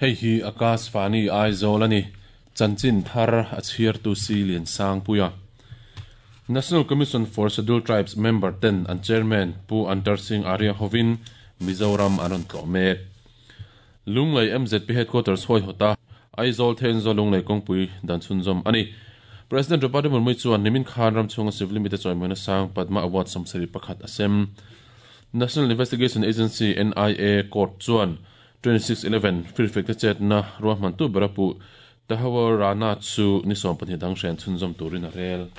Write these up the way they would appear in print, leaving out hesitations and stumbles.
Hei hi Akashvani Aizawl a ni. Chanchin thar a chhiartu si Liansangpuia. National Commission for Scheduled Tribes member ten an chairman Pu Antar Singh Arya hovin Mizoram an rawn tlawh mek. Lunglei MZP Headquarters hawihawta Aizawl Thenzawl Lunglei kawngpui dan chhunzawm a ni. President Draupadi Murmu chuan nimin khan ram chhunga civil limit-a chawimawina sang Padma Award 71 a sem. National Investigation Agency, NIA, court chuan 26/11 firfekte chetna ruahmantu ber a puh Tahawur Rana chu ni 12 dang hren chhunzawm turin a rel.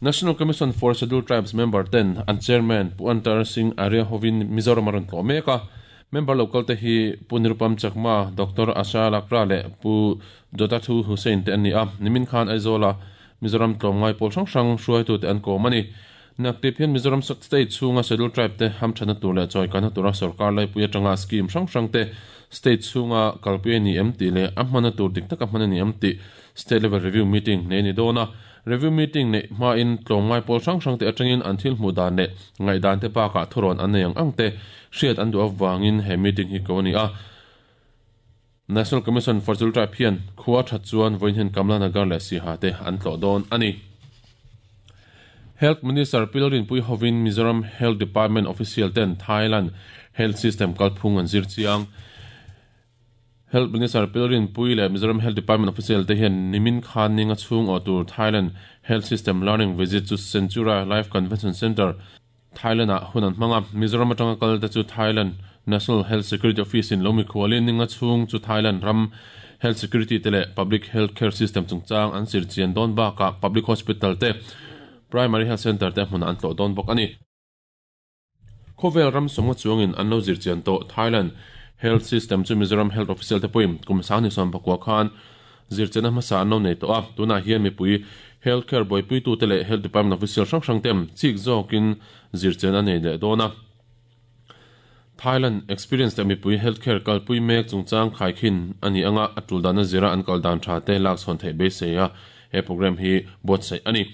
National Commission for Scheduled Tribes member ten an chairman Pu Antar Singh Arya hovin Mizoram a rawn tlawh mek a. Member local te hi Pu Nirupam Chakma, Doctor Asha Lakra leh Pu Jotathu Hussain te an ni a. Nimin khan Aizawla Mizoram tlawmngai pawl hrang hrang hruaitute an kawm a ni. Naktip hian Mizoram State chhunga Scheduled Tribe te hamthatna tur leh chawikana tura sorkar laipui atanga scheme hrang hrang te state chhunga kalpui a ni em tih leh a hmana tur dik taka hman a ni em tih State Level Review Meeting nei a ni dawn a. Review Meeting neih hmain tlawmngai pawl hrang hrang te atangin an thil hmuh dan leh ngaihdan te bakah thurawn an nei ang ang te hriat an duh avangin he meeting hi ko a ni a. National Commission for Scheduled Tribe hian khua that chuan vawiin hian Kamla Nagar leh Siha te an tlawh dawn a ni. Health Minister Pilrinpui hovin Mizoram Health Department official ten Thailand Health System kalphung an zir chiang. Health Minister Pilrinpui leh Mizoram Health Department official te hian nimin khan ninga chhung awh tur Thailand Health System Learning Visit chu Centura Life Convention Centre, Thailand-ah hun an hmang a. Mizoram atanga kal te chu Thailand National Health Security Office-in lo mikhualin ninga chhung chu Thailand ram Health Security te leh Public Health Care System chungchang an zir chian dawn bakah Public Hospital te, Primary Health Centre te hmunah an tlawh dawn bawk a ni. Khawvel ram sawmnga chuangin an lo zir chian tawh Thailand Health System chu Mizoram Health Official te pawhin kum 2019 khan zirchianna hmasa an lo nei tawh a, tunah hian mipui Health Care buaipuitute leh Health Department Official hrang hrang ten chik zawkin zirchian a nei leh dawn a. Thailand Experience leh mipui Health Care kalpui mek chungchang khaikhin a ni anga a tul dana zira an kal dan tha te lak chhawn theih beisei a he program hi buatsaih a ni.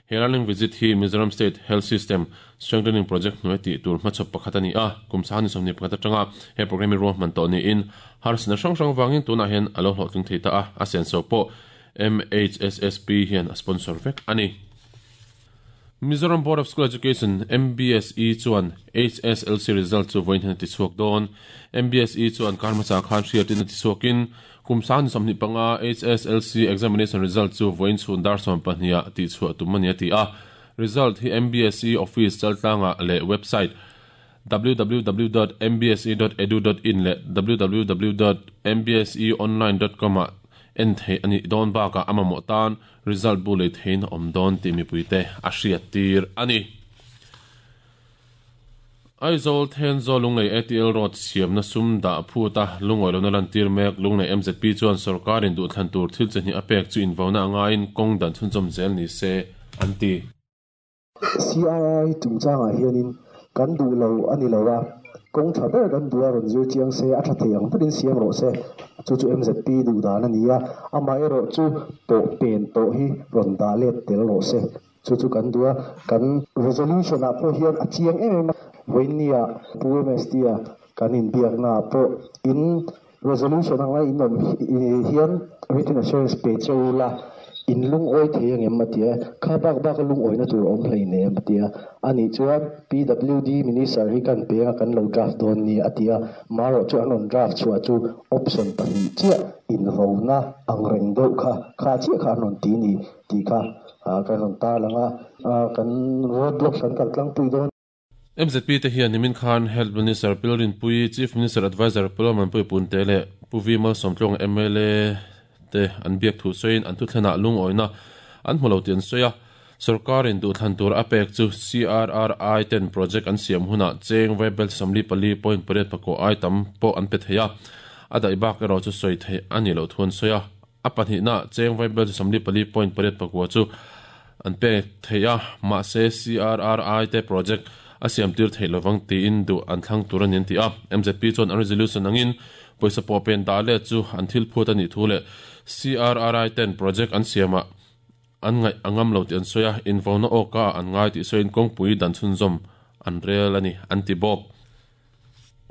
He learning visit hi Mizoram State Health System Strengthening Project hnuai tih tur hmachhawp pakhat a ni a, kum 2021 atanga he program hi ruahman tawh niin harsatna hrang hrang vangin tunah hian a lo hlawhtling thei ta a, a senso pawh MHSSP hian a sponsor vek a ni. Mizoram Board of School Education, MBSE, chuan HSLC result chu vawiin hian a tichhuak dawn. MBSE chuan kar hmasa khan hriatin a tichhuakin kum 2025 HSLC examination result chu vawiin chhun dar 12 ah tihchhuah tum a ni a ti a. Result hi MBSE office chaltlangah leh website www dot mbse dot edu dot in leh www dot mbseonline dot com ah en theih a nih dawn bakah a mamawh tan result bu lei theihin a awm dawn tih mipuite a hriattir a ni. Aizawl Thenzawl Lunglei ATL Road siamna sum dah phut a lungawi lohna lantir mek Lunglei MZP chuan sorkarin duhthlan tur thil chi hnih a pek chu invauna a ngaiin kawng dan chhunzawm zel ni se an ti. CRI chungchangah hianin kan duh lo a ni lo a, kawng tha ber kan duh a rawn zir chiang se, a tha thei ang berin siam rawh se. Chu chu MZP duh dan a ni a, amaherawh chu pawh pen tawh hi rawn dah let tel rawh se. Chu chu kan duh a, kan resolution ah pawh hian a chiang em em a, vawiinnia Pu MST-a kan inbiakna ah pawh in resolution anga in awm hian written assurance pe che u la, in lungawi thei angem a ti a, kha bak bak a lungawina tur a awm hleinem a ti a, anih chuan PWD Minister hi kan peng a kan lo draft dawn ni a ti a, marawh chu an rawn draft chhuah chu option pahnih chiah invona ang reng deuh kha, kha chiah kha an rawn ti ni. Tih kha kan rawn tarlang a, kan road block kan kal tlangpui dawn. MZP te hian nimin khan Health Minister Pilrinpui, Chief Minister Adviser Pulawmanpui Punte leh Pu V Malsawmtluanga mla te an biak thu sawiin an thuthlenah lungawina an hmu lo tih an sawi a. Sorkarin duhthlan tur a pek chu CRRI ten project an siam hunah cheng vaibel 44.8 ai tam pawh an pe thei a, a daih bak erawh chu sawi theih a nih loh thu an sawi a. A pahnihna cheng vaibel chu 44.8 chu an pek theih a, mahse CRRI te project a siam tir theih lovang tiin duh an thlang tur a ni an ti a. MZP chuan an resolution angin pawisa pawh pen dah let chu an thil phut a nih thu leh CRRI ten project an siamah an ngaih a ngam lo tih an sawi a, invauna awka ah an ngai tih sawiin kawngpui dan chhunzawm an rel a ni an ti bawk.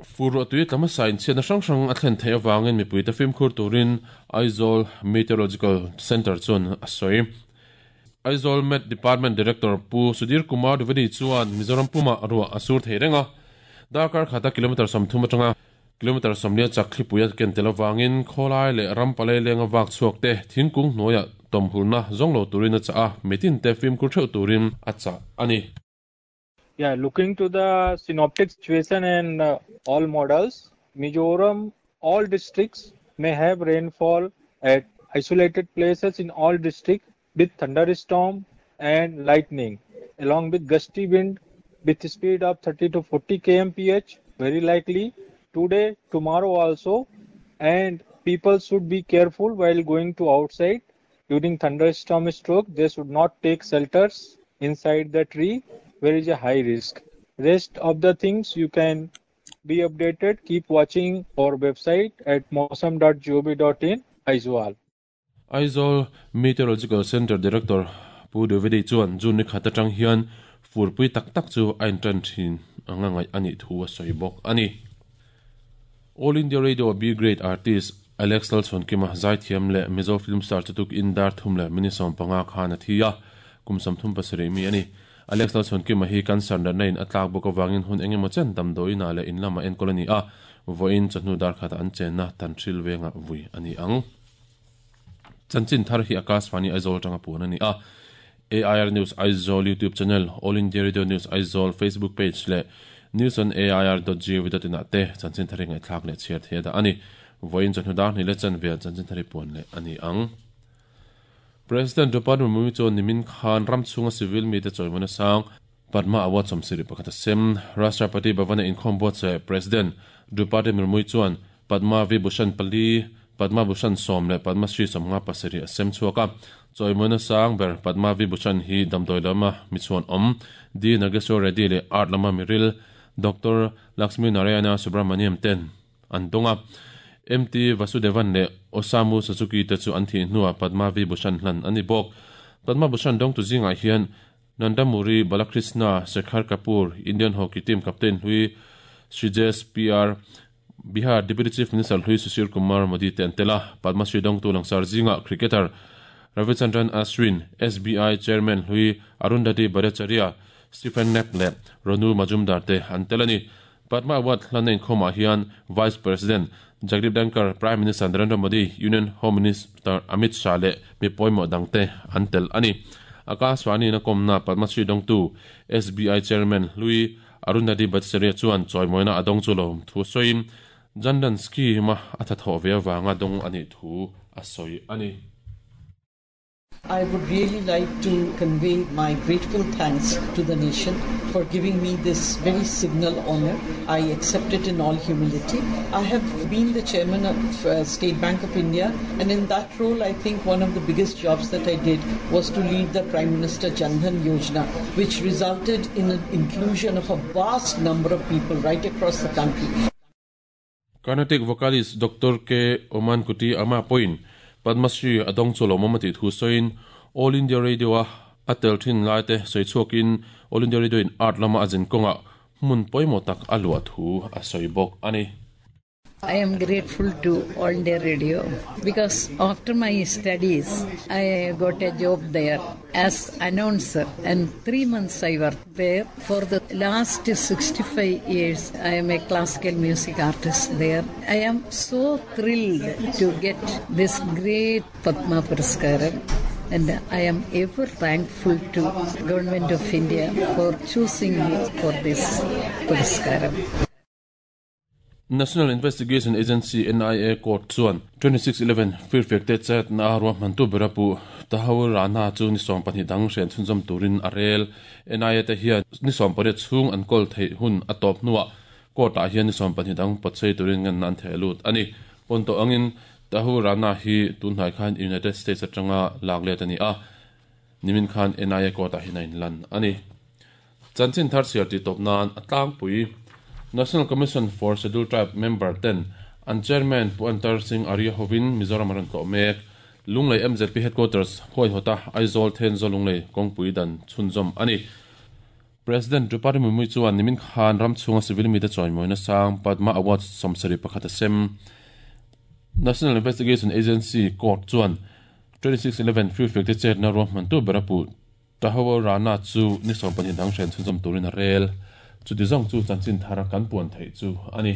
Fur ruahtui tla hmasa inchhiatna hrang hrang a thlen theih avangin mipuite fimkhur turin Aizawl Meteorological Centre chuan a sawi. Aizawl Met Department Director Pu Sudhir Kumar Dwivedi chuan Mizoram pumah ruah a sur thei reng a, darkar khata kilometre 30 atanga kilometre 40 chak thlipui a ken tel avangin khawlai leh ram palai lenga vak chhuak te thingkung hnuaiah tawmhulna zawng lo turin a chah a, mitinte fimkhur theuh turin a chah a ni. Yeah, looking to the synoptic situation and all models, Mizoram, all districts may have rainfall at isolated places in all districts with thunderstorm and lightning, along with gusty wind with speed of 30 to 40 kmph, very likely today, tomorrow also, and people should be careful while going to outside during thunderstorm stroke. They should not take shelters inside the tree where is a high risk. Rest of the things you can be updated. Keep watching our website at mausam.gov.in. Aizawl. Aizawl Meteorological Centre Director Pu Dwivedi chuan June ni khat atang hian furpui tak tak chu a intan thin anga ngaih a nih thu a sawi bawk a ni. All India Radio B Grade Artist Alex Lalchhuankima zaithiam leh Mizo film star chu tukin dar thum leh minute 15 khan a thi a, kum 37 mi a ni. Alex Lalchhuankima hi cancer natna in a tlak bawk avangin hun eng emaw chen damdawiin ah leh in lamah enkawl a ni a, vawiin chawhnu dar khatah an chenna Tanhril vengah vui a ni ang. Chanchin thar hi Akashvani Aizawl atanga puan a ni a, AIR News Aizawl YouTube channel, All India Radio News Aizawl Facebook page leh newsonair.gov.in ah te chanchin thar hi ngaihthlak leh chhiar thei a dah a ni. Vawiin chawhnu dar hnih leh chanve ah chanchin thar hi puan leh a ni ang. President Draupadi Murmu chuan nimin khan ram chhunga civil mite chawimawna sang Padma Award 71 a sem. Rashtrapati Bhavan-a inkhawm buatsaih President Draupadi Murmu chuan Padma Vibhushan pali, Padma Bhushan sawm leh Padma Shri 57 a sem chhuak a. Chawimawina sang ber Padma Vibhushan hi damdawi lama mi chhuan awm D Nageswar Reddy leh Art lama miril Doctor Lakshmi Narayana Subramaniam ten an dawng a. MT Vasudevan leh Osamu Suzuki te chu an thih hnuah Padma Vibhushan hlan a ni bawk. Padma Bhushan dawngtu zingah hian Nandamuri Balakrishna, Shekhar Kapoor, Indian Hockey team captain hlui Sreejesh PR, Bihar Deputy Chief Minister hlui Sushil Kumar Modi te an tel a. Padma Shri dawngtu langsar zingah cricketer Ravichandran Ashwin, SBI Chairman hlui Arundhati Bhattacharya, Stephen Knapp leh Ronu Majumdar te an tel a ni. Padma Award hlanna inkhawmah hian Vice President Jagdeep Dhankhar, Prime Minister Narendra Modi, Union Home Minister Amit Shah leh mi pawimawh dangte an tel a ni. Akashvani-in a kawmna Padma Shri dawngtu SBI Chairman hlui Arundhati Bhattacharya chuan chawimawina a dawng chu lo thu sawiin Jan Dhan Scheme-a a thathawh ve avanga dawng a nih thu a sawi a ni. I would really like to convey my grateful thanks to the nation for giving me this very signal honor. I accept it in all humility. I have been the chairman of State Bank of India, and in that role, I think one of the biggest jobs that I did was to lead the Prime Minister Jan Dhan Yojana, which resulted in an inclusion of a vast number of people right across the country. Carnatic vocalist Doctor K Omankutty Amma pawhin Padma Shri a dawng chu lawmawm a tih thu sawiin All India Radio-a a tel thin laite sawi chhuakin All India Radio in art lama a zin kawngah hmun pawimawh tak a luah thu a sawi bawk a ni. I am grateful to All India Radio because after my studies I got a job there as announcer and 3 months I worked there. For the last 65 years I am a classical music artist there. I am so thrilled to get this great Padma Puraskaram and I am ever thankful to Government of India for choosing me for this Puraskaram. National Investigation Agency, NIA, court chuan 2611 firfiak te chetna a ruahmantu bera puh Tahawur Rana chu ni 12 dang hrian chhunzawm turin a rel. NIA te hian ni 18 chhung an kawl theih hun a tawp hnuah court ah hian ni 12 dang pawtchei turin nganna an theh lut a ni. Pawn tawh angin Tahawur Rana hi tunhnai khan United States atanga lak let a ni a, nimin khan NIA court ah hian a inlan a ni. Chanchin thar chhiar tih tawp nan a tlangpui National Commission for Scheduled Tribe member ten an Chairman Pu Antar Singh Arya hovin Mizoram a rawn tlawh mek. Lunglei MZP Headquarters huaihawta Aizawl Thenzawl Lunglei kawngpui dan chhunzawm a ni. President Droupadi Murmu chuan nimin khan ram chhunga civil mite chawimawina sang Padma Awards 71 a sem. National Investigation Agency court chuan 26/11 Free te chetna ruahmantu ber a puh Tahawur Rana chu ni 12 dang hren chhunzawm turin a rel. Chuti zawng chu chanchin thar kan puan theih chu a ni.